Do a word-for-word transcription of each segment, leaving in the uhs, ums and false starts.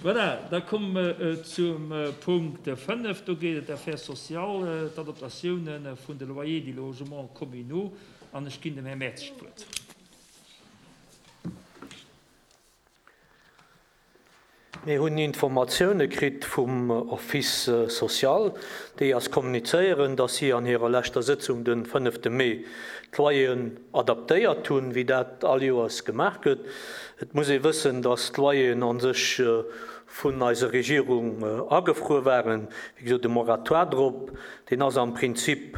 Voilà, da komme mer zum Punkt fënnef. Do geet et Affaires sociales, d'Adaptatioune vun de Loyers des logements communaux. An ech ginn dem Här Mertzig d'Wuert. Mir hunn Informatioune kritt vum Office social, déi eis kommunizéieren, dass si an hirer leschter Sëtzung de fënnefte Mee d'Loyeren adaptéiert hunn, wéi dat all Joers gemaach gëtt. Et muss ee wëssen, dass d'Loyeren a sech vun eiser Regierung agefruer waren. Wéi gesot, de Moratoire drop, deen ass am Prinzip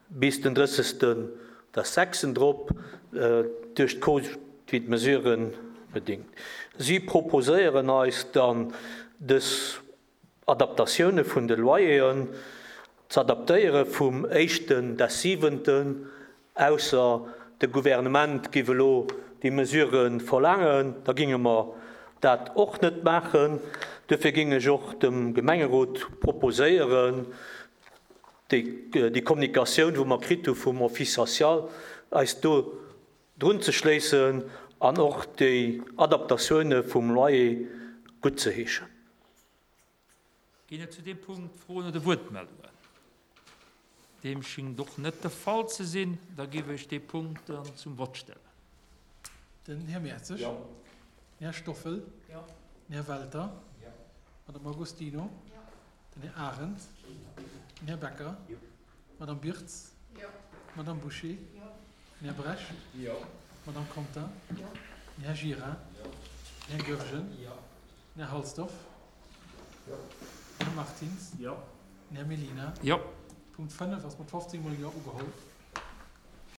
bis den drëssegsten des sechsten drop, duerch d'Covidmesuren bedingt. Si proposéieren eis dann, dës Adaptatioune vun de Loyeren z'adaptéiere vum éischten des siwenten, ausser de Gouvernement giff elo déi Mesure verlaangen, da ginge mer dat och net maachen. Duerfir ging ech och dem Gemengerot proposéieren, déi Kommunikatioun, wou mer kritt hu vum Office social, eis do drunzeschléissen an och déi Adaptatioune vum Loyer guttzeheeschen. Ginn et zu deem Punkt Froen oder Wuertmeldungen? Deem schéngt och net de Fall ze sinn. Da géif ech dee Punkt dann zum Vott stellen. Den Här Mertzig. Jo. Den Här Stoffel. Jo. Den Här Welter. Jo. D'Madame Agostino. Jo. Den Här Arendt. Den Här Becker. Jo. D'Madame Birtz. Jo. D'Madame Bouché. Jo. Den Här Brecht. Jo. D'Madame Contin. Jo. Den Här Gira. Jo. Den Här Goergen. Jo. Den Här Halsdorf. Jo. Den Här Martins. Jo. Den Här Mellina. Jo. Punkt fënnef ass mat fofzéng mol Jo ugeholl.